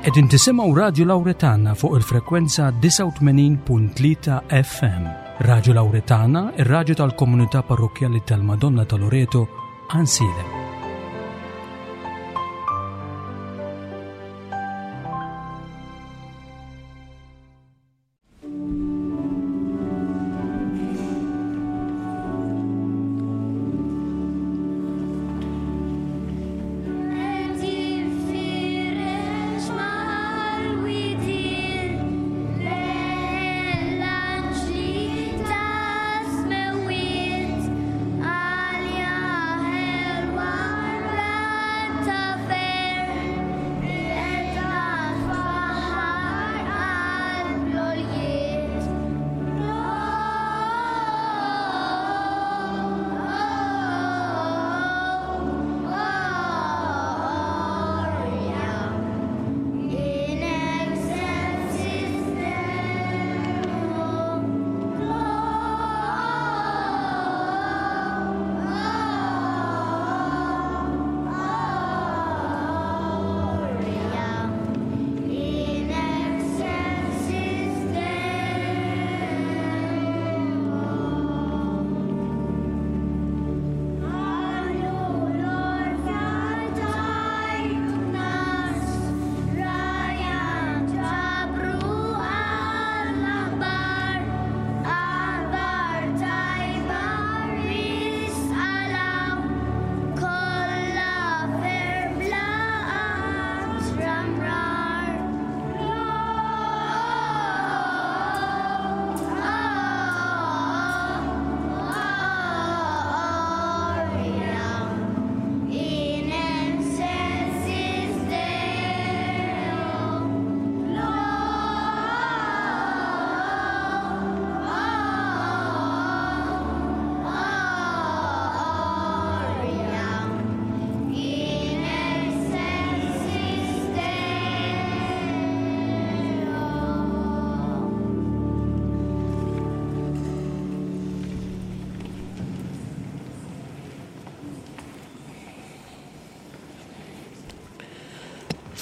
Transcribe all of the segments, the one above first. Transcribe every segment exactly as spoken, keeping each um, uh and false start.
Qegħdin tisimgħu Radju Lawretana fuq il-frekwenza disgħa u tmenin punt tlieta F M. Radju Lawretana, ir-radju tal-komunità parrokkjali tal-Madonna ta' Loreto, Għajnsielem.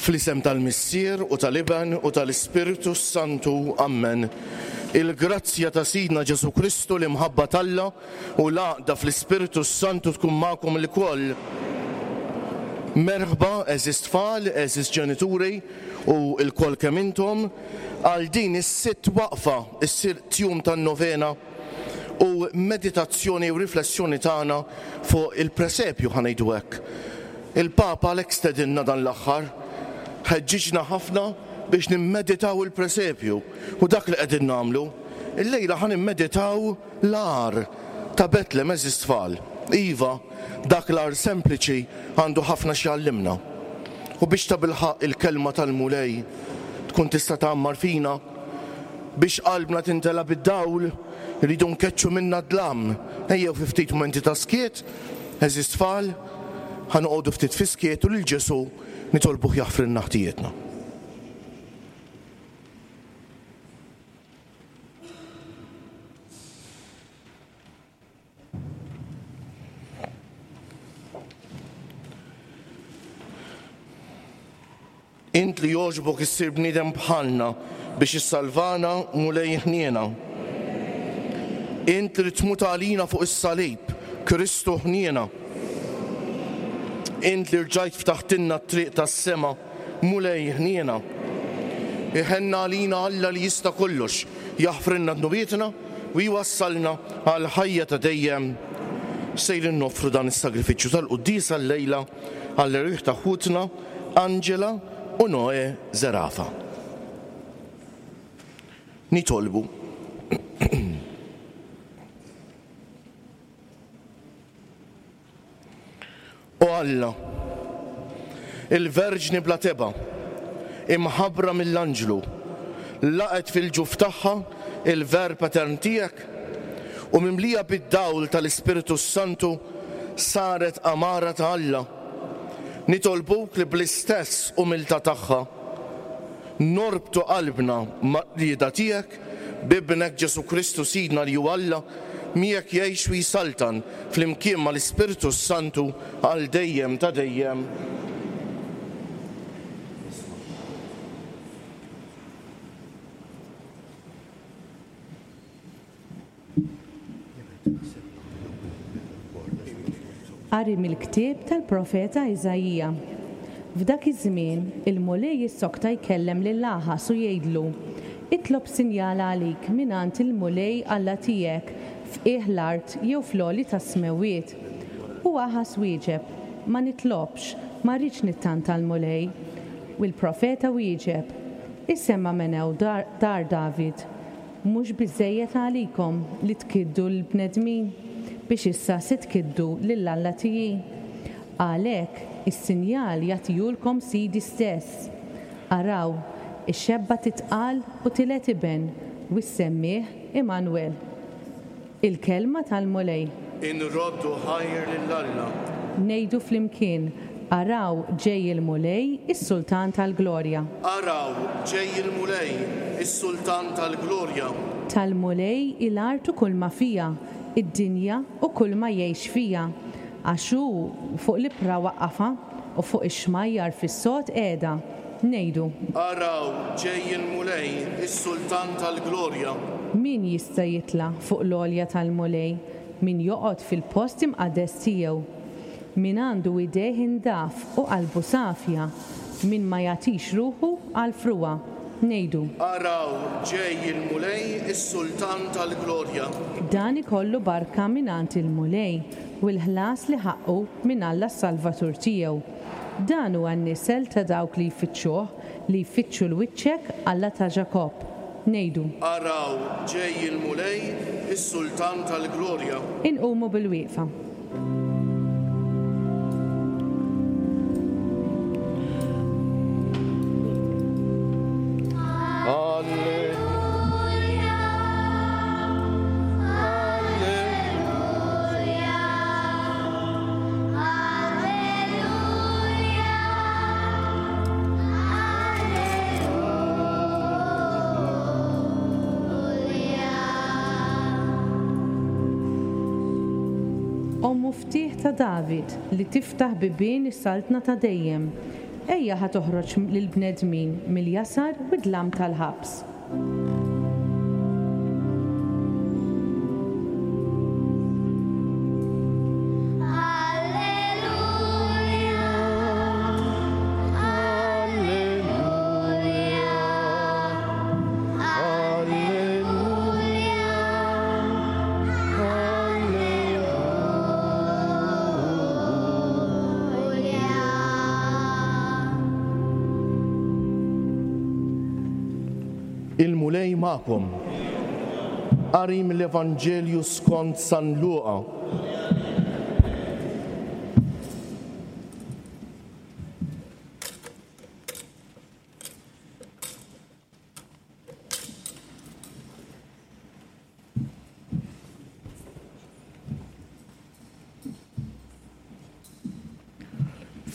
Fl-isem tal-Missier u tal-Iben u tal-Ispirtu Santu. Amen. Il-grazzja ta' Sidna Ġesu Kristu, l-imħabba t'Alla u l-għaqda fl-Ispirtu Santu tkun magħkom ilkoll. Merħba, għeżież tfal, għeżież ġenituri u lkoll kemm intom għal din is-sitt waqfa, is-sitt jum tan-novena u meditazzjoni u riflessjoni tagħna fuq il-presepju, ħa ngħidu hekk. Il-Papa għalhekk stedinna dan l-aħħar, ħeġġiġna ħafna biex nimmeditaw il-presepju u dak li qegħdin nagħmlu. Illejla ħa nimmeditaw l-għar ta' Betlem, għeżież tfal. Iva, dak l-għar sempliċi għandu ħafna x'jgħallimna. U biex tabilħaq il-kelma tal-Mulej tkun tista' tgħammar fina, biex qalbna tintela bid-dawl, rridu nkeċċu minna d-dlam. Ejjew fi ftit mumenti ta' skiet, għeżież tfal, ħa noqogħdu ftit fi skiet u lil Ġesu nitolbuh jaħfrilna ħtijietna. Int li jogħġbok issir bniedem bħalna biex issalvana, Mulej ħniena. Int li tmut għalina fuq is-salib, Kristu ħniena. Int li rġajt ftaħtilna t-triq tas-sema, Mulej ħniena. Iħenna għalina Alla li jista' kollox, jaħfrilna dnubietna u jwassalna għal ħajja ta' dejjem. Sejrin noffru dan is-sagrifiċċju tal-quddiesa llejla għall-erwieħ ta' ħutna Angela u Noe Zerafa. Nitolbu. O Alla, il-Verġni bla teba, imħabbra mill-anġlu, laqgħet fil-ġuf tagħha il-Verb etern tiegħek u mimlija bid-dawl tal-Ispirtu Santu saret amara ta' Alla. Nitolbuk li bl-istess umiltà tagħha norbtu qalbna mar-rieda tiegħek b'ibnek Ġesu Kristu Sidna li hu Alla, miegħek jgħix u jsaltan flimkien mal-Ispirtu Santu għal dejjem ta' dejjem. Qari mill-ktieb tal-profeta Iżaija. F'dak iż-żmien il-Mulej jissokta jkellem lil Aħas u jgħidlu: Itlob sinjal għalik mingħand il-Mulej Alla tiegħek f'qiegħ l-art jew fl-għoli tas-smewwiet. U Aħas wieġeb: Ma nitlobx, ma rridx nittanta l-Mulej. U l-profeta wieġeb: Isema' menew dar, dar David, mhux biżejjed għalikom li tkiddu l-bnedmin biex issa se tkiddu lil Alla tiegħi. Għalhekk is-sinjal jagħtihulkom Sidi stess. Araw, ix-xebba titqal u tiled iben u ssemmih Immanuel. Il-kelma tal-Mulej. Inroddu ħajr lil Alla. Ngħidu flimkien, araw ġej il-Mulej, is-Sultan tal-Glorja. Araw ġej il-Mulej, is-Sultan tal-Glorja. Tal-Mulej il-art u kull ma fija, id-dinja u kull ma jgħix fija. Għax hu fuq l-ibħra waqqafha u fuq ix-xmajjar fis-sod qiegħda. Ngħidu. Araw ġej il-Mulej, is-Sultan tal-Glorja. Min jista' jitla' fuq l-għolja tal-Mulej, min joqgħod fil-post imqaddes tiegħu. Min għandu idejh indaf u qalbu safja, min ma jagħtix ruħu għal frugħa. Ngħidu. Araw ġej il-Mulej, is-Sultan tal-Glorja. Dan ikollu barka mingħand il-Mulej u l-ħlas li ħaqqu minn Alla s-Salvatur tiegħu. Dan huwa n-nisel ta' dawk li jfittxuh, li jfittxu l-wiċċek Alla ta' Ġakobb. Ngħidu. Araw ġej il-Mulej, is-Sultan tal-Glorja. Inqumu bil-wieqfa. O muftieħ ta' David li tiftaħ bibien is-saltna ta' dejjem, ejja ħa toħroġ lill-bnedmin mill-jasar u d-dlam tal-ħabs. Il-Mulej magħkom. Qari mill-Evanġelju skont San Luqa.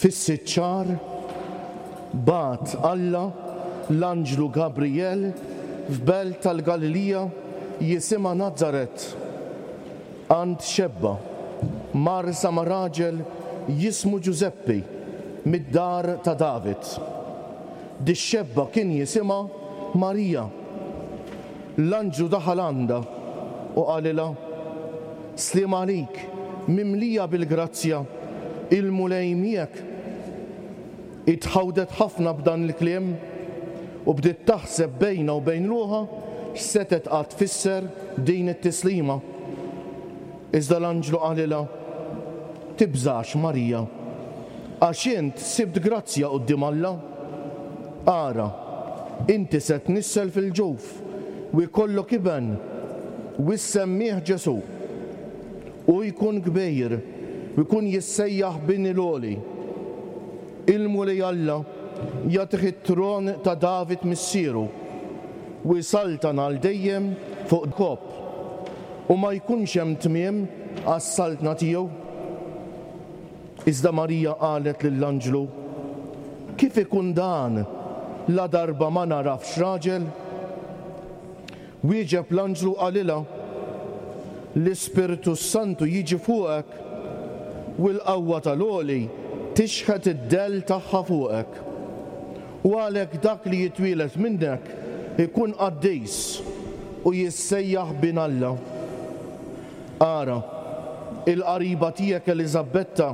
Fis-sitt xahar bagħat Alla l-anġlu Gabriel f'belt tal-Galilija jisimha Nazaret, għand xebba marsa ma' raġel jismu Ġużeppi mid-dar ta' David. Dix-xebba kien jisimha Marija. L-anġlu daħal għandha u qalilha: Sliem għalik, mimlija bil-grazzja, il-Mulej miegħek. Itħawdet ħafna b'dan il-kliem u bdiet taħseb bejna u bejn ruħha x'setet qatt tfisser din it-tislima. Iżda l-anġlu qalilha: Tibżax, Marija, għax int sibt grazzja quddiem Alla. Ara, inti se tnissel fil-ġuf u jkollok iben u ssemmih Ġesù. U jkun kbir u jkun jissejjaħ bin il-Għoli. Il-Mulej Alla jagħtih it-tron ta' David missieru u jsaltan għal dejjem fuq Ġakobb, u ma jkunx hemm tmiem għas-saltna tiegħu. Iżda Marija qalet lill-anġlu: Kif ikun dan la darba ma narafx raġel? Wieġeb l-anġlu qalilha: L-Ispirtu Santu jiġi fuqek u l-qawwa tal-Għoli tixħet id-dell tagħha fuqek. U għalhekk dak li jitwielet minnek ikun qaddis u jissejjaħ bin Alla. Ara, il-qariba tiegħek Eliżabetta,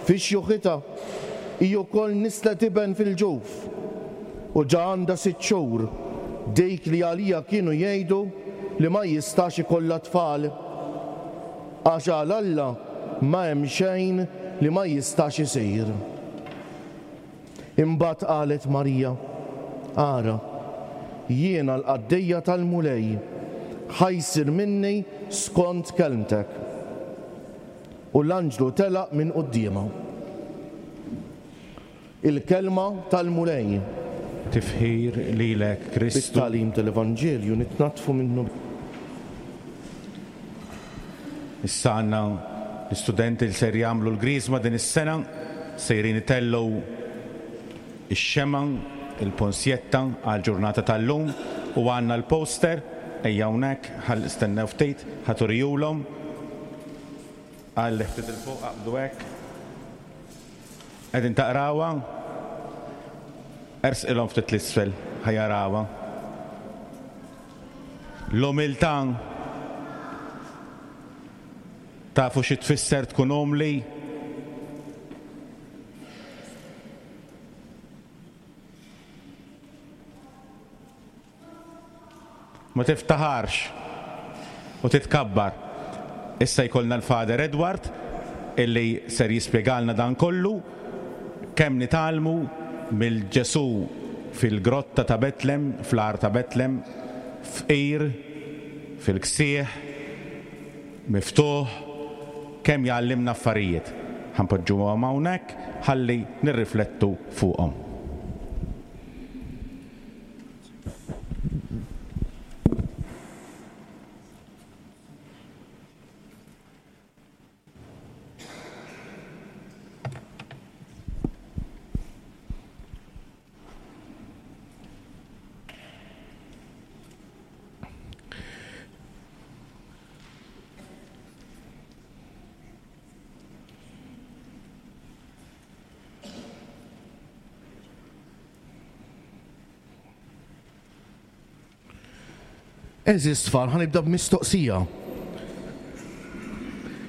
fi xjuħitha, hi wkoll nislet iben fil-ġuf, u ġa għandha sitt xhur, dik li għalija kienu jgħidu li ma jistax ikollha tfal. Għax għal Alla ma hemm xejn li ma jistax isir. Imbagħad qalet Marija, ara, jiena l-qaddejja tal-Mulej, ħa jsir minni skont kelmtek. U l-anġlu telaq minn quddiemha. Il-kelma tal-Mulej. Tifħir lilek Kristu. Bit-tagħlim tal-Evanġelju nitnatfu minnu. Issa għandna l-istudenti li ser jagħmlu l-griżma din is-sena, sejrin itellgħu ix-xemgħa, il-ponsjetta għall-ġurnata tal-lum u għandna l-poster, ejja hawnhekk, ħalli stennew ftit, ħa turijulhom. Għalli ftit il-fuq, aqbdu hekk. Qegħdin taqrawha? Ersqilhom ftit l-isfel, ħa jarawha. L-umiltà, tafu xi tfisser tkun umli? Ma tiftaħarx u titkabbar. Issa jkollna l-Father Edward illi ser jispjegalna dan kollu kemm nitgħallmu mill-Ġesù fil-grotta ta' Betlem, fl-għar ta' Betlem, fqir, fil-ksieħ, miftuħ, kemm jgħallimna affarijiet. Ħa npoġġuhom hawnhekk ħalli nirriflettu fuqhom. Għeżież tfal, ħa nibda b'mistoqsija.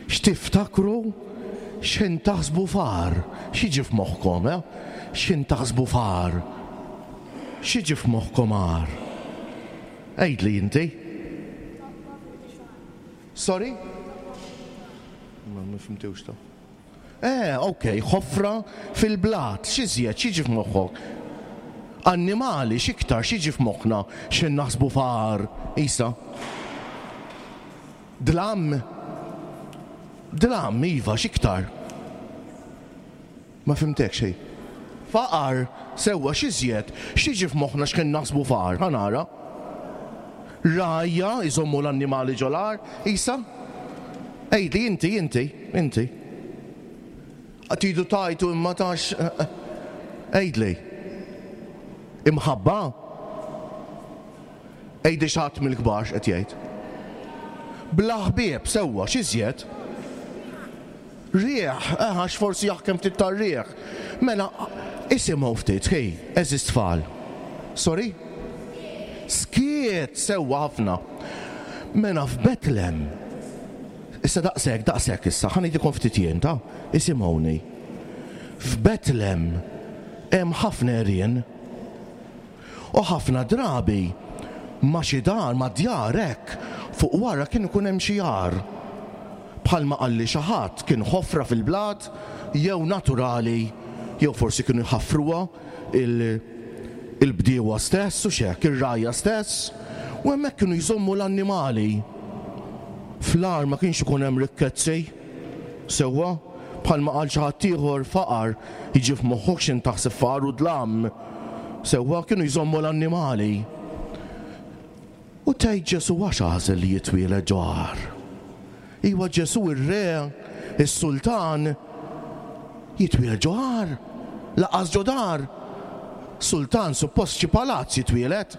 X'tiftakru x'ħin taħsbu f'għar? X'jiġi f'moħħkom, eh? X'ħin taħsbu f'għar? X'jiġi f'moħħkom għar? Għidli inti. Sorry? Ma ma fimtux ta. Eh, ok, ħofra fil-blat, x'iżjed, x'jiġi f'moħħok? Annimali, x'iktar, x'jiġi f'moħħna x'ħin naħsbu f'għar? Isa. Dlam. Dlam, iva, x'iktar? Ma fimtek xejn. Faqar, sewwa, x'iżjed, x'jiġi f'moħħna x'ħin naħsbu f'għar? Ħa nara. Rajja, iżommu l-annimali ġol-għar, Isa? Ejdi, inti, inti, inti. Tidu tajtu imma tax. Ejdli. Imħabba? Ejdi xi ħadd mill-kbar x'qed jgħid. Bla ħbieb, sewwa, x'iżjed? Rieħ, eh, għax forsi jaħkem ftit tar-rieħ. Mela, isimgħu ftit, ħej, għeżież tfal. Sorry? Skiet, sewwa ħafna. Mela f'Betlem. Issa daqshekk, daqshekk issa, ħa ngħidilkom ftit jien, ta' isimgħuni. F'Betlem hemm ħafna għerien. U ħafna drabi ma xi dar, ma djar hekk, fuq wara kien ikun hemm xi għar. Bħalma qalli xi ħadd kien ħofra fil-blat jew naturali, jew forsi kienu jħaffruha il-bdiewa stess u xek, ir-rgħajja stess, u hemmhekk kienu jżommu l-annimali. Fl-għar ma kienx ikun hemm rikkezzi, sewwa, bħalma qal xi ħadd ieħor faqar, jiġi f'moħħok x'in taħseb faqar u dlam. Sewwa kienu jżommu l-annimali. U tgħid Ġesù għax għażel li jitwieled ġo għar. Iwa Ġesù ir-re, is-sultan, jitwieled ġo għar, lanqas ġo dar. Sultan suppost xi palazz jitwieled.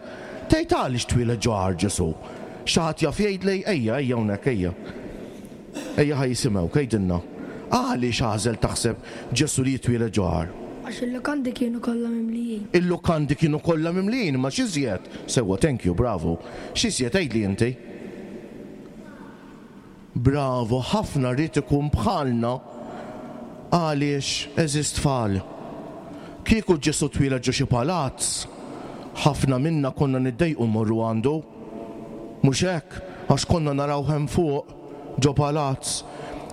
Tgħid għaliex twieled ġo għar Ġesù? Xi ħadd jaf jgħidli, ejja, ejja hawnhekk, ejja. Ejja ħa jisimgħu, għidilna. Għaliex għażel taħseb Ġesù li jitwieled ġo għar? Għax il-lukandi kienu kollha mimlijin. Il-lukandi kienu kollha mimlijin, ma x'iżjed? Sewwa, thank you, bravo. X'iżjed għidli inti? Bravo, ħafna rrid ikun bħalna. Għaliex, għeżież tfal, kieku Ġesù twieled ġo xi palazz, ħafna minna konna niddejqu mmorru għandu. Mhux hekk, għax konna naraw hemm fuq ġo palazz.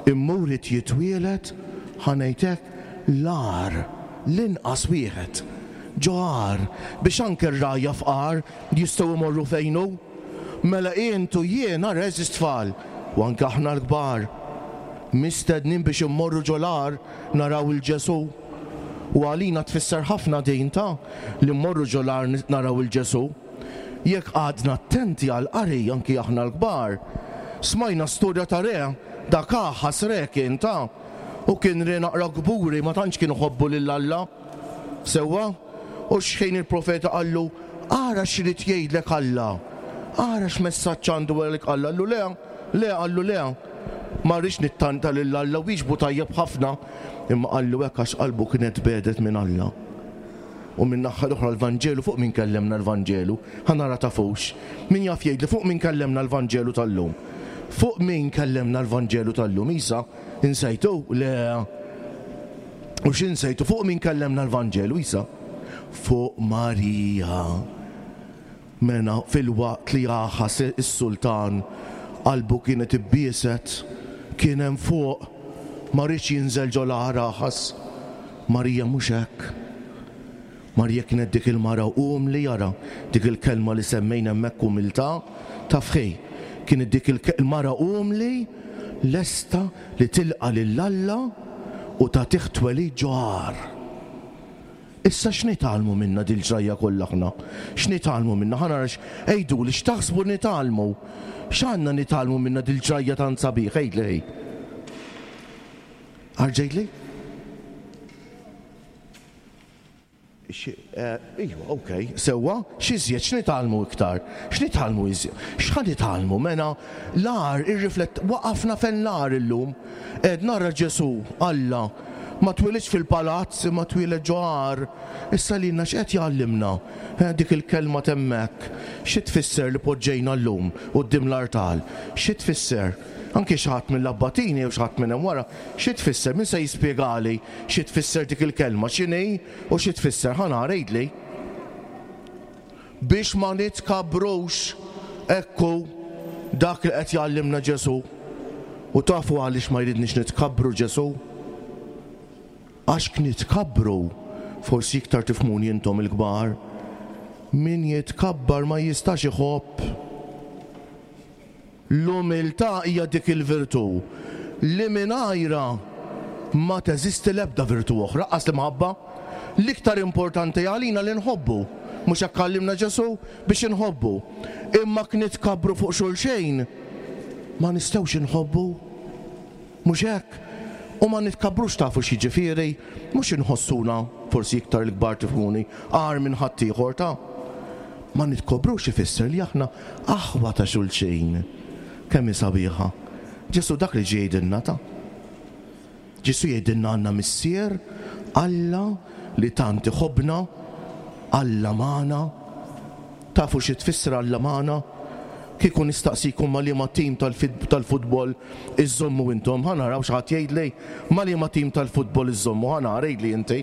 Imma ried jitwieled, ħa ngħidlek, l-għar, l-inqas wieħed, ġo għar, biex anke r-rgħajja fqar jistgħu jmorru fejnu. Mela intu jiena, għeżież tfal, u anke aħna l-kbar, mistednin biex immorru ġo l-għar naraw il-Ġesù. U għalina tfisser ħafna din ta' li mmorru ġo l-għar naraw il-Ġesù. Jekk għadna attenti għal qari anki aħna l-kbar, smajna storja ta' re, dak Aħas re kien ta' u kien re naqra kburi, ma tantx kien iħobbu lil Alla. Sewwa? U xħin il-profeta qallu, ara x'irid jgħidlek Alla, ara x'messaġġ għandu għalik Alla, qallu le, le, qallu le, ma rridx nittanta lil Alla, wieġbu tajjeb ħafna, imma qallu hekk għax qalbu kienet bedet minn Alla. U minn naħa l-oħra l-Vanġelu, fuq min kellemna l-Vanġelu, ħa nara tafux. Min jaf jgħidli fuq min kellemna l-Vanġelu tal-lum? Fuq min kellemna l-Vanġelu tal-lum? Isa, insejtu? Le. U x'insejtu? Fuq min kellemna l-Vanġelu, Isa? Fuq Marija. Mena fil-waqt li Aħas is-sultan qalbu kienet ibbieset, kien hemm fuq, ma riedx jinżel ġo l-għar Aħas. Marija mhux hekk. Marija kienet dik il-mara umli, jara, dik il-kelma li semmejna hemmhekk umiltà, taf ħej, kienet dik il-mara umli lesta li tilqa lil Alla u tagħtih twelid ġo għar. Issa x'nitgħallmu minna dil-ġrajja kollha aħna? X'nitgħallmu minna? Ħa nara għiduli x'taħsbu nitgħallmu? X'għandna nitgħallmu minna dil-ġrajja tant sabiħ? Għidli ħej. Arġejtli? Iva, okej, sewwa, x'iżjed, x'nitgħallmu iktar? X'nitgħallmu iżjed? X'ħa nitgħallmu? Mela, l-għar irriflett, waqafna fejn l-għar illum. Ed nara Ġesù, Alla, ma twilidx fil-palazz, ma twieled ġo għar. Issa lilna x'qed jgħallimna? Eh, dik il-kelma temmek. Xi tfisser li poġġejna llum quddiem l-artal? Xi tfisser? Anke xi ħadd mill-abbatini jew xi ħadd minn hemm wara, xi tfisser? Min se jispjegali xi tfisser dik il-kelma? X'inhi u xi tfisser? Ħa nara, għidli. Biex ma nitkabrux, ekku dak li qed jgħallimna Ġesù. U tafu għaliex ma jridniex nitkabru Ġesù? Għax nitkabbru, forsi iktar tifhmuni intom il-kbar, min jitkabbar ma jistax iħobb. L-umiltà hija dik il-virtù li mingħajra ma teżisti l-ebda virtù oħra, qas l-imħabba. L-iktar importanti għalina li nħobbu, mhux hekk għallimna Ġesù biex inħobbu. Imma knitkabru fuq xulxejn ma nistgħux inħobbu, mhux hekk. U ma nitkabrux tafu x'jiġifieri, mhux inħossuna forsi iktar l-kbar tifhmuni, agħar minn ħaddieħor ta' ma nitkobrux ifisser li aħna aħwa ta' xulxejn. Kemm hi sabiħa. Ġesù dak li ġie jgħidilna ta' Ġesù jgħidilna għandna missier, Alla li tant iħobbna, Alla magħna. Tafu xi tfisser Alla magħna? Kieku nistaqsikom ma liema tim tal-futbol iżommu intom, ħa naraw xi ħadd jgħidli ma liema tim tal-futbol iżommu, ħa nara għidli inti.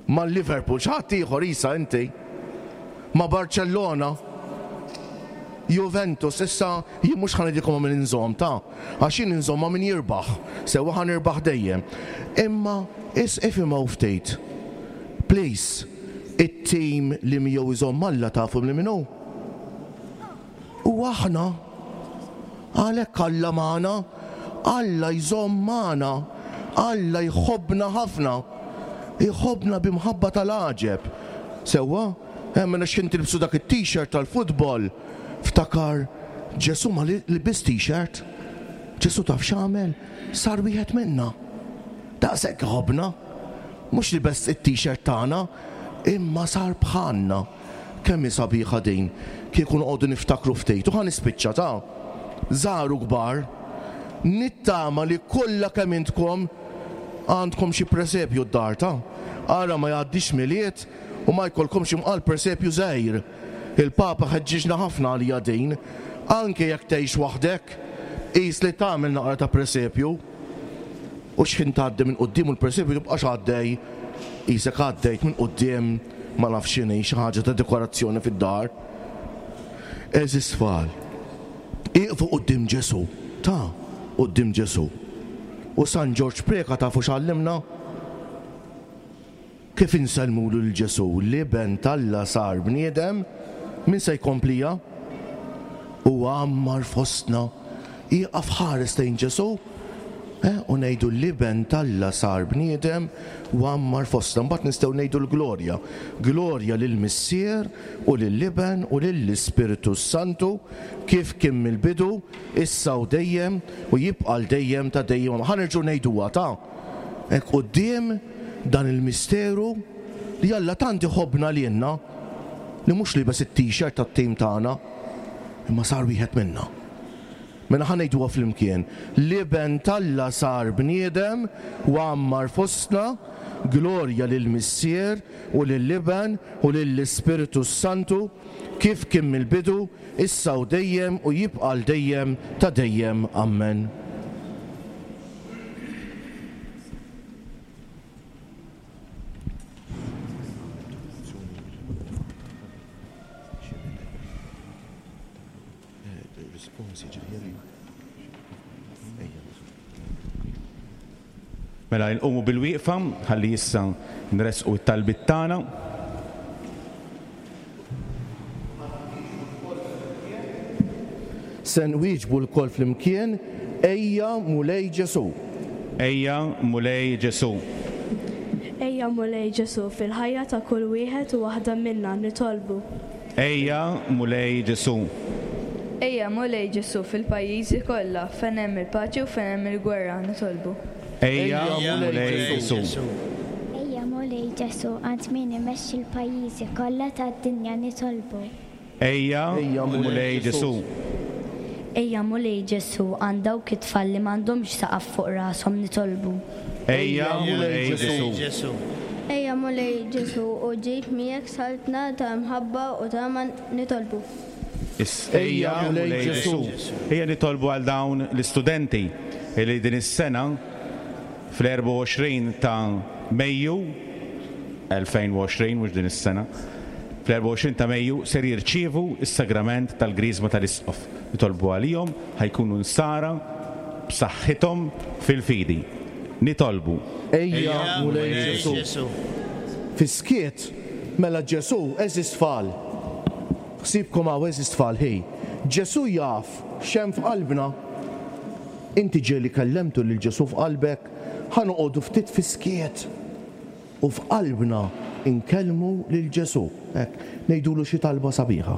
Ma Liverpool, xi ħadd ieħor isa inti. Ma Barcellona, Juventus, issa jien mhux ħa ngħidilkom ma' min inżomm ta' għax jien inżomm ma' min jirbaħ, sewwa ħa nirbaħ dejjem. Imma is ifhimgħu ftit. Please, it-tim li miegħu iżomm Alla tafu li min hu? U aħna, għalhekk Alla magħna, Alla jżomm magħna, Alla jħobbna ħafna, jħobbna b'imħabba tal-għaġeb. Sewwa, hemm mela x'ħin tilbsu dak it-t-shirt tal-futbol, ftakar Ġesù ma libis t-shirt. Ġesù taf x'għamel? Sar wieħed minna. Daqshekk iħobbna. Mhux libes it-t-shirt tagħna, imma sar bħalna. Kemm hi sabiħa din, kieku noqogħdu niftakru ftit. U ħa nispiċċa ta' żgħar u kbar, nittama li kollha kemm intkom għandkom xi presepju d-dar ta' ara ma jgħaddix Milied u ma jkollkomx imqal presepju żgħir. Il-Papa ħeġġiġna ħafna għalija din, anke jekk tgħix waħdek, Qis li tagħmel naqra ta' presepju u x'ħin tgħaddi minn quddiem u l-presepju tibqax għaddej qisek għaddejt minn quddiem ma nafx x'inhi xi ħaġa ta' dekorazzjoni fid-dar. Għeżież tfal, ieqfu quddiem Ġesù, ta' quddiem Ġesù. U San Ġorġ Preca tafu x'għallimna? Kif insellmulu lil Ġesù, l-Iben t'Alla sar bniedem, min se jkomplija? U għammar fostna, ieqaf ħares lejn Ġesù, eh, u ngħidu l-Iben t'Alla sar bniedem u għammar fostna. Mbagħad nistgħu ngħidu l-glorja. Glorja lill-Missier u lill-Iben u lill-Ispirtu Santu, kif kien mill-bidu, issa u dejjem u jibqa' l dejjem ta' dejjem. Ħa nerġgħu ngħiduha ta' hekk quddiem dan il-misteru li Alla tant iħobbna lilna li mhux libes it-t-shirt tat-tim tagħna, imma sar wieħed minna. Mela ħa ngħiduha flimkien. L-Iben t'Alla sar bniedem u għammar fostna, glorja lill-Missier u lill-Iben u lill-Ispirtu Santu, kif kien mill-bidu, issa u dejjem u jibqa' l dejjem ta' dejjem. Amen. Mela nqumu bil-wieqfa ħalli issa nresqu t-talbiet tagħna. Se nwieġbu lkoll flimkien, Ejja Mulej Ġesù. Ejja Mulej Ġesù. Ejja Mulej Ġesù fil-ħajja ta' kull wieħed u waħda minna nitolbu. Ejja Mulej Ġesù. Ejja Mulej Ġesù fil-pajjiżi kollha fejn hemm il-paċi u fejn hemm il-gwerra nitolbu. Ejja Mulej Ġesù. Ejja Mulej Ġesù għand min imexxi l-pajjiżi kollha tad-dinja nitolbu. Ejja Mulej Ġesù. Ejja Mulej Ġesù għand dawk it-tfal li m'għandhomx saqaf fuq rashom nitolbu. Ejja Mulej Ġesù. Ejja Mulej Ġesù u ġib miegħek saltna ta' mħabba u tama nitolbu. Ejja Mulej Ġesù. Ejja nitolbu għal dawn l-istudenti li din is-sena fl-erbgħa u għoxrin ta' Mejju elfejn u għoxrin, mhux din is-sena, fl-erbgħa u għoxrin ta' Mejju ser jirċievu s-sagrament tal-Griżma tal-Isqof. Nitolbu għalihom ħajkunu nsara b'saħħithom fil-fidi. Nitolbu. Ejja Mulej Ġesù. Fis-skiet mela Ġesù għeżież tfal. Ħsibkom hawn għeżież tfal ħi. Ġesù jaf x'hemm f'qalbna. Inti ġieli kellemtu lil Ġesù f'qalbek, ħa noqogħdu ftit fis-skiet u f'qalbna inkellmu lil Ġesù. Hekk, ngħidulu xi talba sabiħa.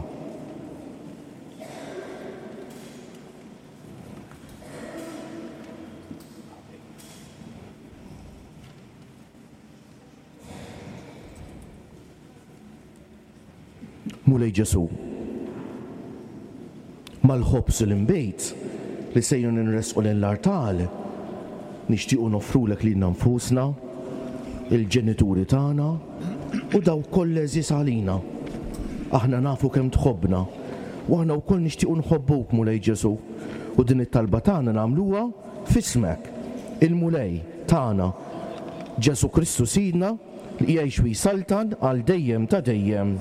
Mulej Ġesù, mal-ħobż u l-inbejt li sejrin nresqu lejn l-artal, nixtiequ noffrulek lilna nfusna, il-ġenituri tagħna u dawk kollha għeżież għalina. Aħna nafu kemm tħobbna u aħna wkoll nixtiequ nħobbuk Mulej Ġesù, u din it-talba tagħna nagħmluha f'ismek, il-Mulej tagħna, Ġesù Kristu Sidna, li jgħix u jsaltan għal dejjem ta' dejjem.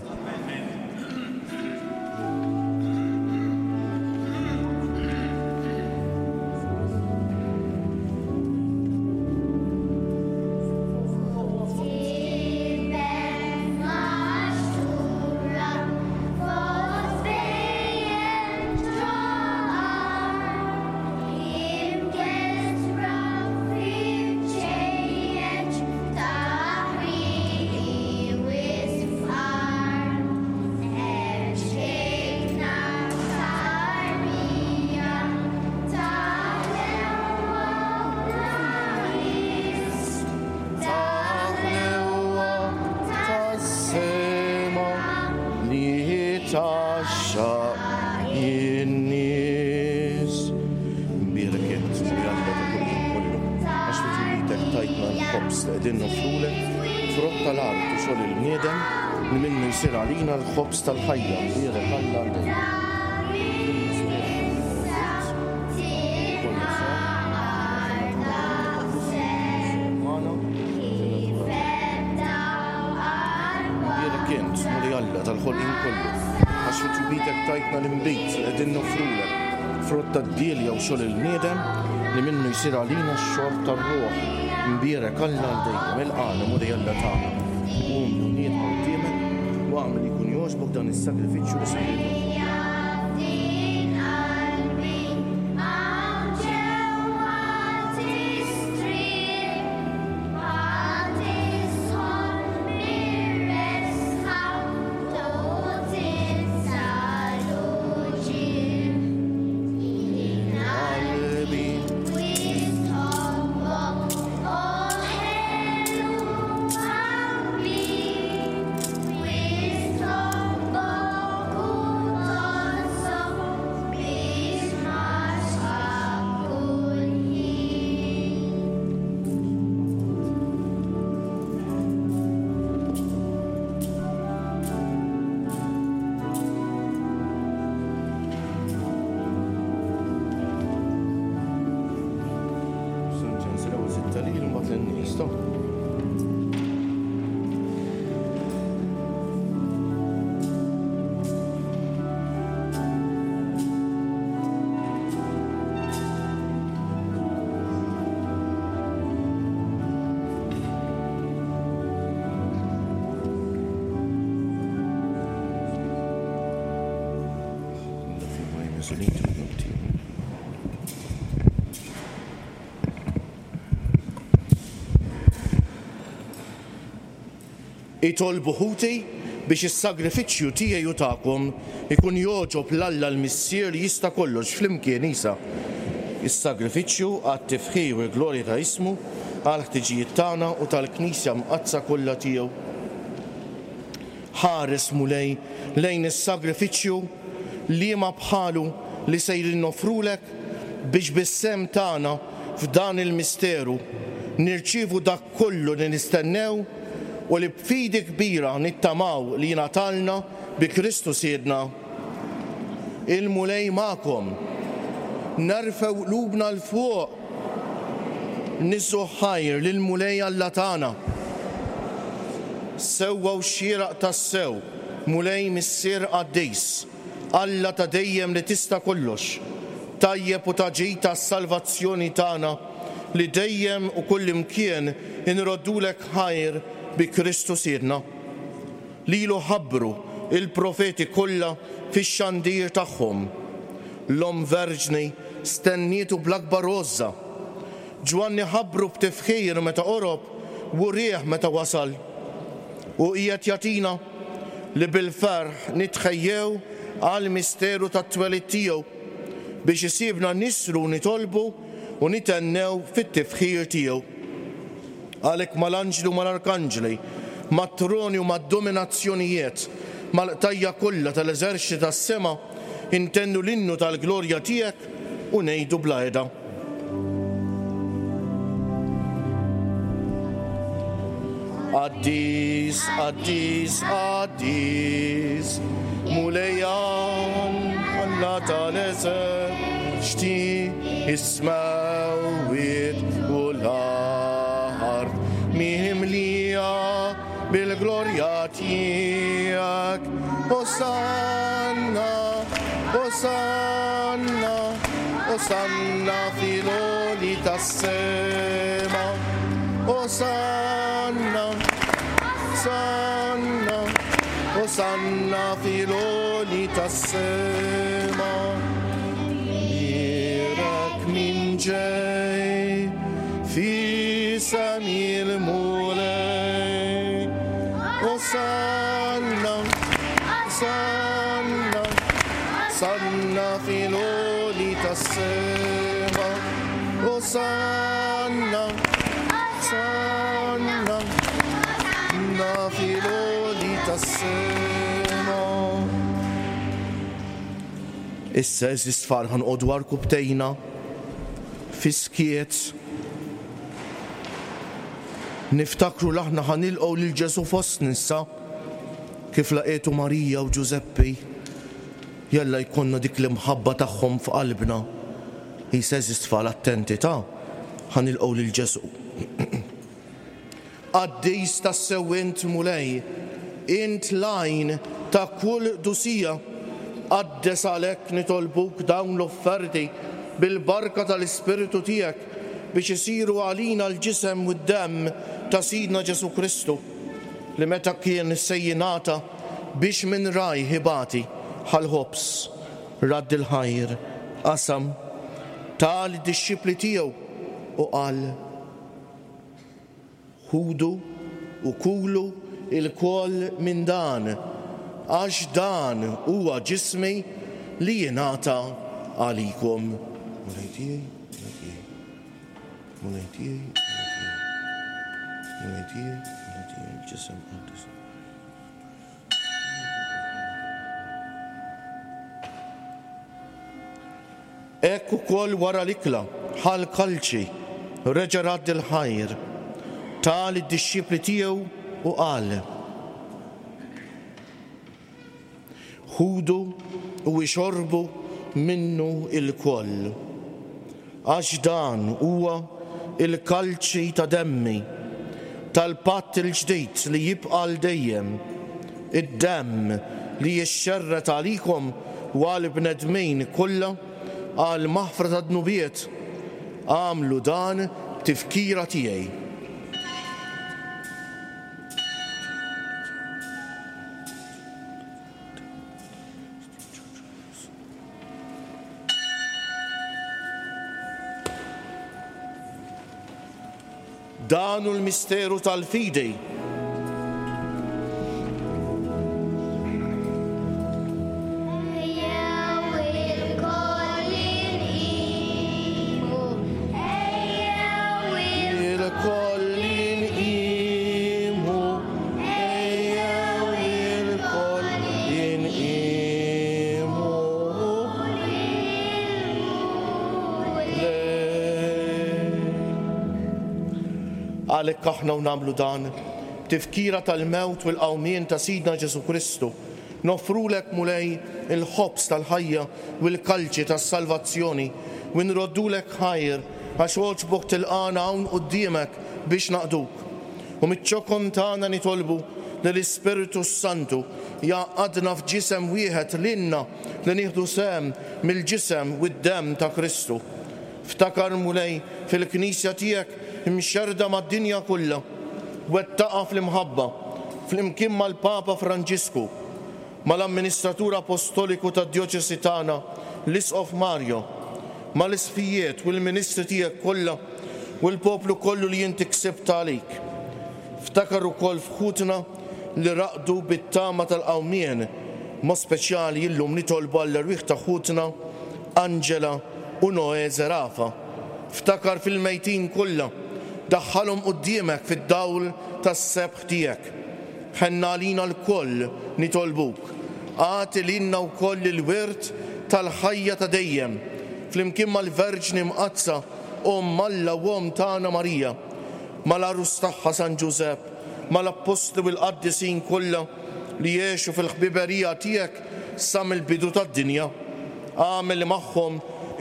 L-ħobż tal-ħajja, mbierek Alla għal dejjem. tal-ħolqien kollu, għax fi tjubitek tajtna l-inbid li qegħdin noffrulek, frott tad-dielja u xogħol il-bniedem li minnu jsir għalina x-xorb tar-ruħ. Mbierek Alla għal dejjem, ilqagħna Mulej Alla tagħna. Qum u niedma quddiemek u agħmel li jkun jogħġbok dan is-sagrifiċċju li sejrin noffru. Itolbu ħuti biex is-sagrifiċċju tiegħi u tagħkom ikun jogħġob 'l Alla l-Missier li jista' kollox flimkien isa. Is-sagrifiċċju għat-tifħir u l-glorja ta' ismu, għall-ħtiġijiet tagħna u tal-Knisja mqaddsa kollha tiegħu. Ħares Mulej lejn is-sagrifiċċju liema bħalu li sejrin noffrulek biex bis-sehem tagħna f'dan il-misteru nirċievu dak kollu li nistennew u li b'fidi kbira nittamaw li jingħatalna bi Kristu Sidna. Il-Mulej magħkom. Nerfgħu qlubna 'l fuq. Niżżu ħajr lill-Mulej Alla tagħna. Sewwa u xieraq tassew, Mulej Missier Qaddis, Alla ta' dejjem li tista' kollox, tajjeb u ta' ġid tas-salvazzjoni tagħna li dejjem u kullimkien inroddulek ħajr bi Kristu Sidna. Lilu ħabbru il-profeti kollha fix-xandir tagħhom. L-Omm Verġni stennietu bl-akbar għożża. Ġwanni ħabbru b'tifħir meta qorob u rieh meta wasal. U qiegħed jagħtina li bil-ferħ nitħejjew għal misteru tat-twelid tiegħu biex isibna nisru nitolbu u nitennew fit-tifħir tiegħu. Għalhekk mal-anġli u mal-arkanġli, mat-troni u mad-dominazzjonijiet, mal-qtajja kollha tal-eżerċti tas-sema, intennu l-innu tal-glorja tiegħek u ngħidu bla heda. Qaddis, qaddis, qaddis, Mulej Alla tal-eżerċti, is-smewwiet u l-art mimlija bil-glorja tiegħek. Osanna, Osanna, Osanna fil-għoli tas-sema. Osanna, Osanna, Osanna fil-għoli tas-sema. Bierek min ġej f'isem il-Mulej. Osanna, Osanna, Osanna fil-għoli tas-sema. Osanna, Osanna, Osanna fil-għoli tas-sema. Issa eżis tfal ħanqodu għarkupptejna fiskiet. Niftakru l-aħna ħanilqgħu lil Ġesù fostna issa kif laqietu Marija u Ġużeppi. Jalla jkollna dik l-imħabba tagħhom f'qalbna. Issa eżis tfal attenti ta' ħanilqgħu lil Ġesù. Qaddis tassew int Mulej, int l-għajn ta' kull dusija. Qaddes għalhekk nitolbuk dawn l-offerti bil-barka tal-Ispirtu tiegħek biex isiru għalina l-ġisem u d-demm ta' Sidna Ġesu Kristu, li meta kien se jingħata biex minn rajh ibati ħall-ħobż, radd il-ħajr, qasam, ta lid-dixxipli tiegħu u qal: Ħudu u kulu ilkoll minn dan, għax dan huwa ġismi li jingħata għalikom. Mulej tiegħi, Mulej tiegħi, Mulej tiegħi, Mulej tiegħi, Mulej tiegħi, il-ġisem qaddis. Hekk ukoll wara l-ikla ħa l-kalċi, reġa' radd il-ħajr, ta lid-dixxipli tiegħu u qal: Ħudu u ixorbu minnu ilkoll, għax dan huwa il-kalċi ta' demmi, tal-patt il-ġdid li jibqa' għal dejjem, id-demm li jixxerret għalikom u għal bnedmin kollha għal maħfra ta' dnubiet. Għamlu dan b'tifkira tiegħi. Dan hu l-misteru tal-fidi. Ejjew ilkoll inqimu, ejjew Ilkoll inqimu, ejjew ilkoll inqimu. Għalhekk aħna u nagħmlu dan tifkira tal-mewt u l-qawmien ta' Sidna Ġesu Kristu, noffrulek Mulej il-ħobż tal-ħajja u l-kalċi tas-salvazzjoni u nroddulek ħajr għax għoġbok tilqana hawn quddiemek biex naqduk. U miċ-ċokon tagħna nitolbu li l-Ispirtu Santu jgħaqqadna f'ġisem wieħed lilna li nieħdu sehem mill-ġisem u d-demm ta' Kristu. Ftakar Mulej fil-Knisja tiegħek imxerda mad-dinja kollha, wettaqa fl-imħabba, flimkien mal-Papa Franġisku, mal-Amministratur Apostoliku tad-Djoċesi tagħna, l-Isqof Mario, mal-isfijiet u l-ministri tiegħek kollha u l-poplu kollu li inti ksibt għalik. Ftakar ukoll f'ħutna li raqdu bit-tama tal-qawmien, mod speċjali illum nitolbu għall-erwieħ ta' ħutna Angela u Noe Zerafa. Ftakar fil-mejtin kollha, daħħalhom quddiemek fid-dawl tas-sebħ tiegħek. Ħenna għalina lkoll nitolbuk, agħti lilna wkoll il-wirt tal-ħajja ta' dejjem, flimkien mal-Verġni Mqaddsa, Omm Alla u Omm tagħna Marija, mal-għarus tagħha San Ġużepp, mal-appostli u l-qaddisin kollha li jgħixu fil-ħbiberija tiegħek sa mill-bidu tad-dinja. Agħmel li magħhom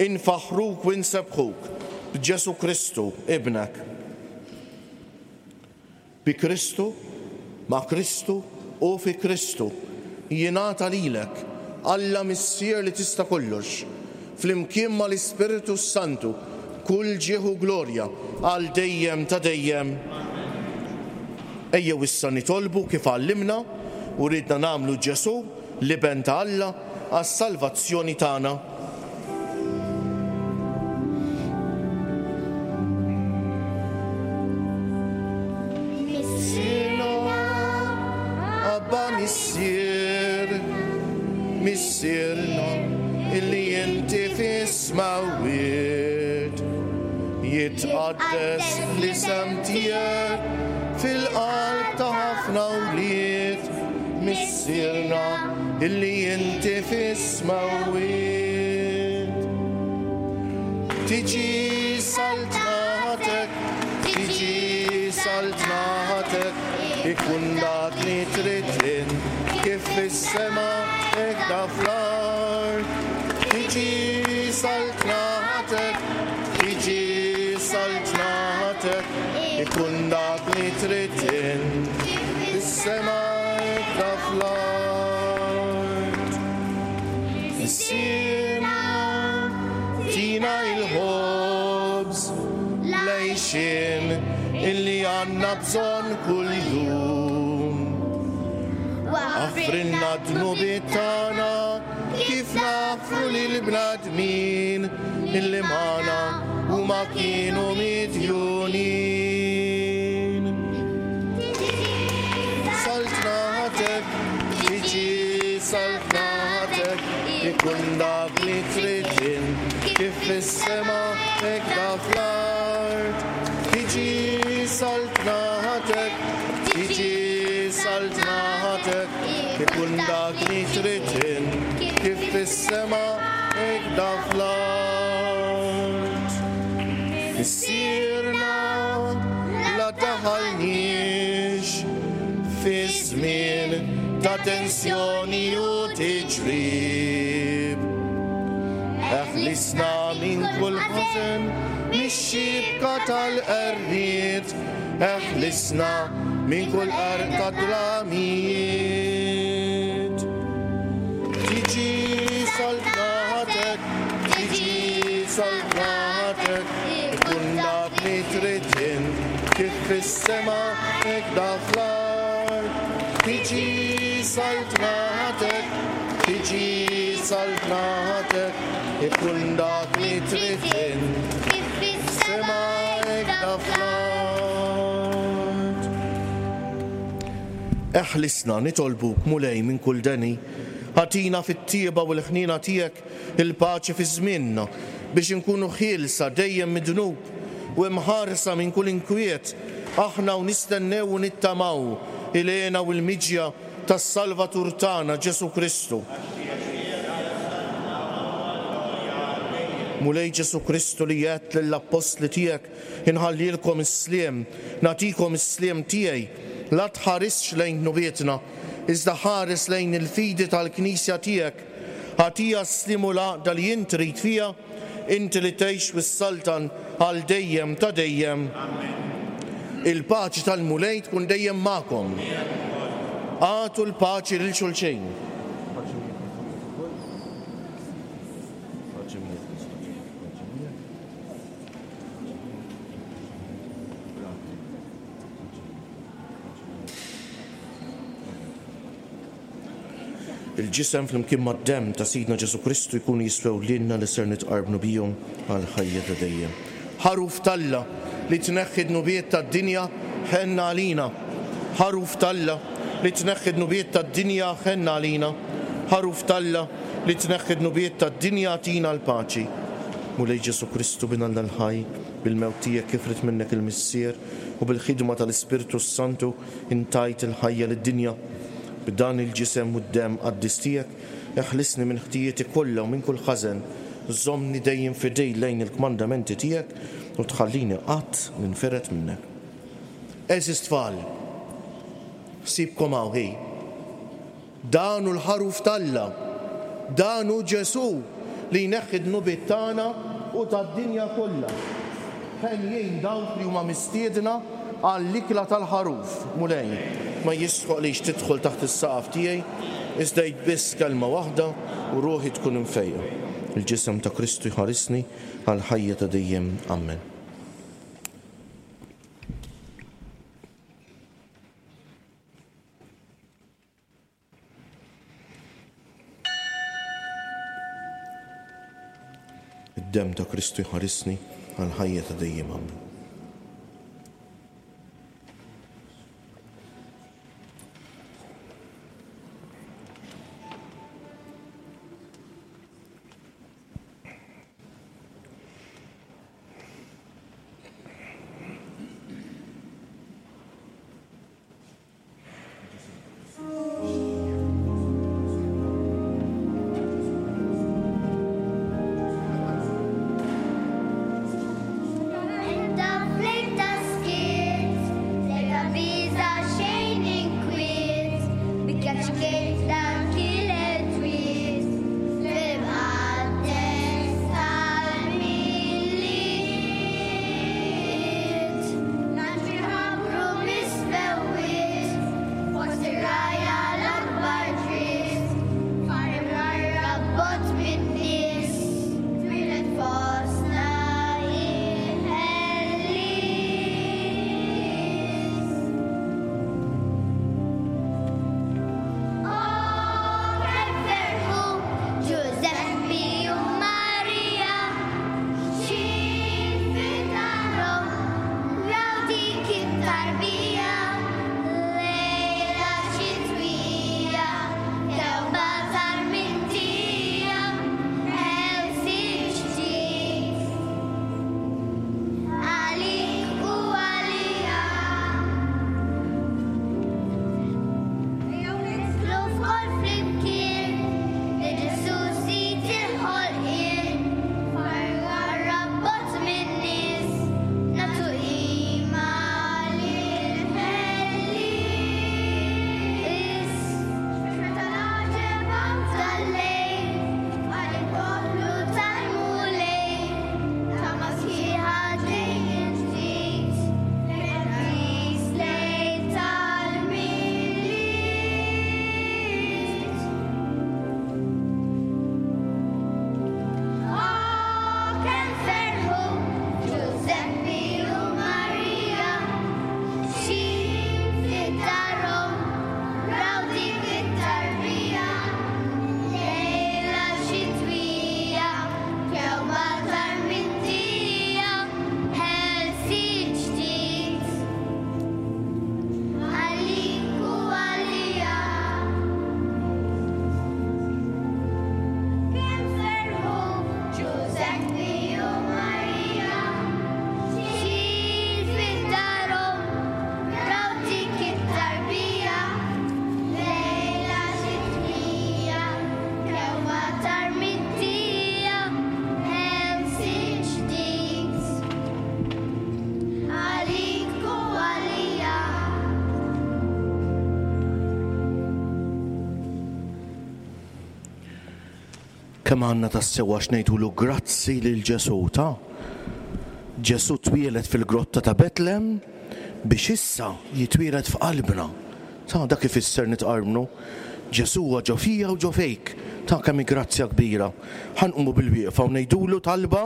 infaħruk u nsebbħuk b'Ġesu Kristu ibnek. Bi Kristu, ma' Kristu u fi Kristu jingħata lilek, Alla Missier li tista' kollox, flimkien mal-Ispirtu Santu, kull ġieħ u glorja għal dejjem ta' dejjem. Ejjew issa nitolbu kif għallimna u ridna nagħmlu Ġesu, l-Iben ta' Alla, għas-salvazzjoni tagħna. Missierna, Abba Missier, Missierna, illi inti fis-smawwiet, jitqaddes l-isem tiegħek fil-qalb ta' ħafna wlied. Missierna, illi inti fis-smawwiet. Tiġi saltnatek, tiġi saltnatek, ikun dak li trid int, kif fis-sema hekk fl-art. Tiġi saltnatek, tiġi saltnatek, ikun dak li trid int, fis-sema hekk fl-art. Missierna, tina il-ħobż, l-għixien illi għandna bżonn kuljum. Aħfrilna d-dnubiet tagħna kif naħfru lill-bnedmin illi magħna huma kienu midjunin. Saltnatek, tiġi saltnatek, ikun dak li trid int, kif fis-sema hekk fl-art. Tiġi saltnatek, tiġi saltnatek, ikun dak li trid int, kif fis-sema hekk fl-art. Missierna, la daħalniex fi żmien ta' tensjoni u tiġrib. Eħlisna minn kull ħażen, mix-xibka tal-qerried, eħlisna minn kull qerq ta' dlamijiet. Tiġi saltnatek, tiġi saltnatek, ikun dak li trid int, kif fis-sema hekk fl-art. Tiġi saltnatek, tiġi saltnatek, ikun dak li trid int, Kif fis-sema sema hekk fl-art. Eħlisna nitolbuk Mulej minn kull deni, ħatina fit-tieba u l-ħnina tiegħek il-paċi fi żmienna biex inkunu ħielsa dejjem mid-dnub u imħarsa minn kull inkwiet, aħna u nistennew u nittamaw il-hena u l-miġja tas-Salvatur tagħna Ġesu Kristu. Mulej Ġesu Kristu li għedt lill-appostli tiegħek, inħallilkom is-sliem, nagħtikom is-sliem tiegħi, la tħarisx lejn dnubietna, iżda ħares lejn il-fidi tal-Knisja tiegħek. Ħatija s-sliem u l-għaqda li int trid fiha, inti li tgħix u s-saltan għal dejjem ta' dejjem. Il-paċi tal-Mulej tkun dejjem magħkom. Agħtu l-paċi lil xulxin. Il-ġisem flimkien mad-demm ta' Sidna Ġesu Kristu jkunu jiswew lilna li ser nitqarbnu bihom għal ħajja ta' dejjem. Ħaruf t'Alla li tneħħi dnubiet tad-dinja, ħenna għalina. Ħaruf t'Alla li tneħħi dnubiet tad-dinja, ħenna għalina. Ħaruf t'Alla li tneħħi dnubiet tad-dinja, tina l-paċi. Mulej Ġesu Kristu bin Alla l-ħaj, bil-mewt tiegħek kif ried minnek il-Missier u bil-ħidma tal-Ispirtu s-Santu intajt il-ħajja lid-dinja. B'dan il-ġisem u d-demm qaddis tiegħek, eħlisni minn ħtijieti kollha u minn kull ħażen, żommni dejjem fidej lejn il-kmandamenti tiegħek u tħallini qatt ninfired minnek. Għeżież tfal, ħsibkom hawn hi. Dan hu l-ħaruf t'Alla, dan hu Ġesu li jneħħi dnubiet tagħna u tad-dinja kollha. Ħenjin dawk li huma mistiedna għall-ikla tal-ħaruf, Mulej, ma jistħoqlix tidħol taħt is-saqaf tiegħi, iżda jgħid biss kelma waħda u ruħi tkun imfejqa. Il-ġisem ta' Kristu jħarisni għal ħajja ta' dejjem. Amen. Id-demm ta' Kristu jħarisni għal ħajja ta' dejjem. Amen. Enda Kemm għandna tassew għax ngħidulu grazzi lil Ġesù ta' Ġesù twieled fil-grotta ta' Betlem biex issa jitwieled f'qalbna. Ta' dak ifisser nitqarbnu. Ġesù huwa ġo fija u ġo fejk. Ta' kemm hi grazzja kbira. Ħa nqumu bil-wieqfa u ngħidulu talba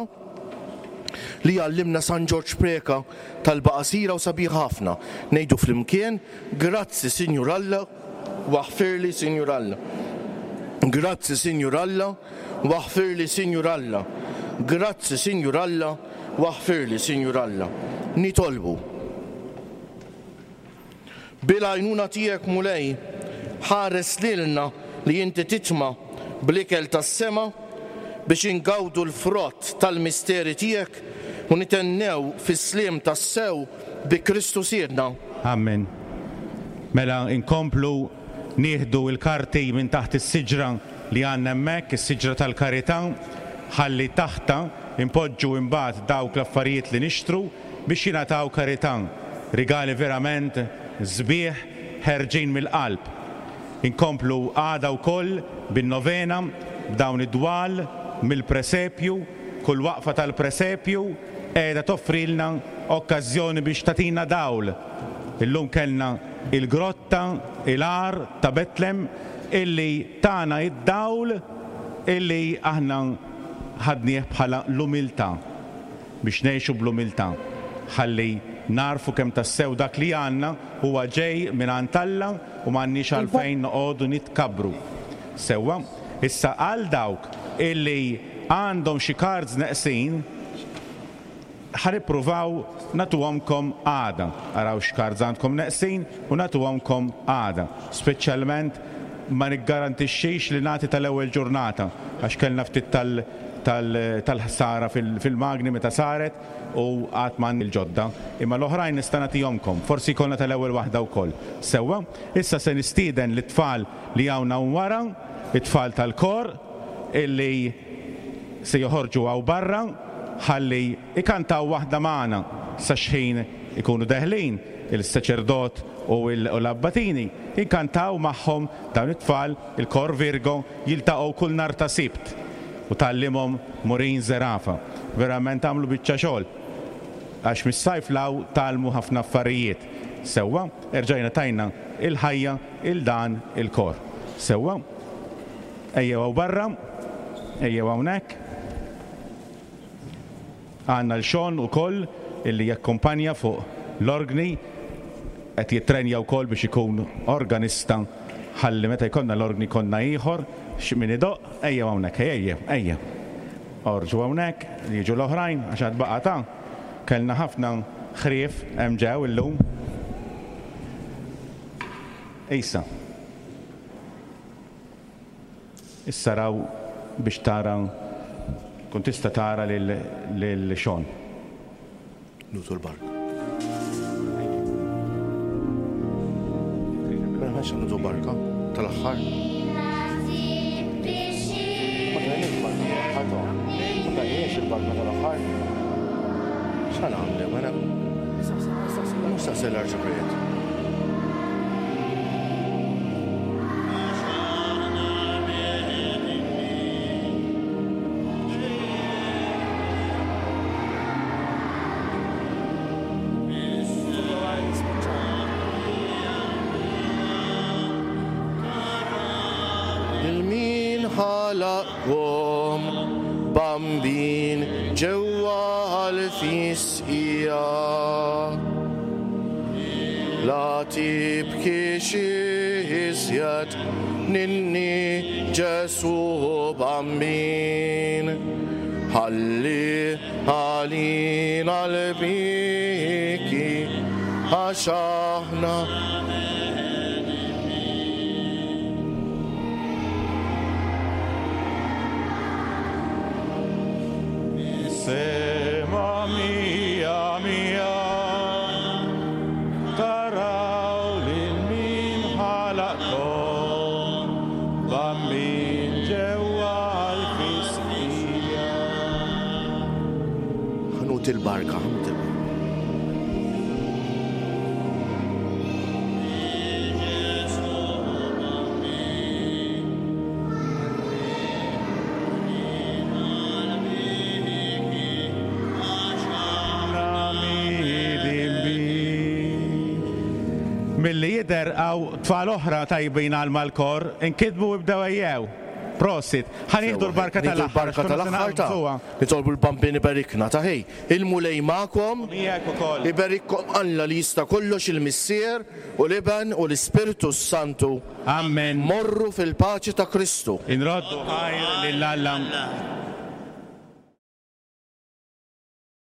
li għallimna San Ġorġ Preca, talba qasira u sabiħa ħafna. Ngħidu flimkien, grazzi Sinjur Alla, waħfirli Sinjur Alla. Grazzi Sinjur Alla, waħfirli Sinjur Alla. Grazzi Sinjur Alla, waħfirli Sinjur Alla. Nitolbu. Bil-għajnuna tiegħek Mulej, ħares lilna li inti titma' bl-ikel tas-sema biex ingawdu l-frott tal-misteri tiegħek u nitennew fis-sliem tassew bi Kristu Sidna. Amen. Mela inkomplu nieħdu l-karti minn taħt is-siġra li għandna hemmhekk, is-siġra tal-karità, ħalli taħta impoġġu imbagħad dawk l-affarijiet li nixtru biex jingħataw karità. Rigali verament sbieħ ħerġin mill-qalb. Inkomplu għada wkoll bin-novena b'dawn id-dwal mill-presepju, kull waqfa tal-presepju qiegħda toffrilna okkażjoni biex tagħtina dawl. Illum kellna il-grotta, il-għar ta' Betlem illi tana id-dawl illi aħna ħadnieh bħala l-umiltà, biex ngħixu bl-umiltà, ħalli narfu kemm tassew dak li għandna huwa ġej mingħand Alla u m'għandniex għalfejn noqogħdu nitkabbru. Sewwa, issa għal dawk illi għandhom xi cards neqsin, ħa nippruvaw nagħtuhomkom għada. Araw x'cards għandkom neqsin u nagħtuhomkom għada. Speċjalment ma niggarantixxix li nagħti tal-ewwel ġurnata għax kellna ftit tal-, tal-, tal-ħsara fil-, fil-magni meta saret u qatt ma il-ġodda, imma l-oħrajn nista' nagħtihomkom, forsi jkollna tal-ewwel waħda wkoll. Sewwa, issa se nistieden lit-tfal li hawn hawn wara, it-tfal tal-kor illi se joħorġu hawn barra ħalli ikantaw waħda magħna sa xħin ikunu deħlin il-saċerdot u l-abbatini, inkantaw magħhom dawn it-tfal, il-kor Virgo, jiltaqgħu kull nhar ta' Sibt u tallimhom Morin Zerafa. Verament għamlu biċċa xogħol għax mis-sajf law talmu ħafna affarijiet. Sewwa, erġajna tajna il-ħajja il dan il-kor. Sewwa, ejjew hawn barra, ejjew hawnhekk. Għandna l-Xon ukoll illi jakkumpanja fuq l-organi, qed jittrenja wkoll biex ikun organista ħalli meta jkollna l-organi konna ieħor x'min idoqq, ejjew hawnhekk, ejjew, ejjew. Orġu hawnhekk, jiġu l-oħrajn għax għad baqa' ta' kellna ħafna ħrief hemm ġew illum. Issa. Issa raw biex tara, kun tista' tara lil, lil Xon. Nutu l-barka. Mela ħax nutu barka tal-aħħar. Ma tajniex barka tal-aħħar ta'. Ma tajniex il-barka tal-aħħar. X'ħa nagħmlu mela? Mhux staqsi l-arċipriet. Il-min ħalaqkom bambin ġewwa l-fisqija. La tibkix iżjed ninni Ġesù bambin, ħalli għalina l-biki għax aħna Sema mia mia taraw lil min ħalaqkom bambin ġewwa l-fisqija. Ħanut il-barka, ħanut il-barka. Milli jidher hawn tfal oħra tajbin għal mal-kor, inkitbu u bdew ejjew. Prosit. Ħa nieħdu l-barka Nieħdu tal-aħħar. l-barka tal-aħħar ta' Nitolbu l-Bambin iberikna ta' ħej. Il-Mulej magħkom. Miegħek ukoll. Iberikkom Alla li jista' kollox, il-Missier u l-Iben u l-Ispirtu Santu. Amen. Morru fil-paċi ta' Kristu. Inroddu ħajr lil Alla.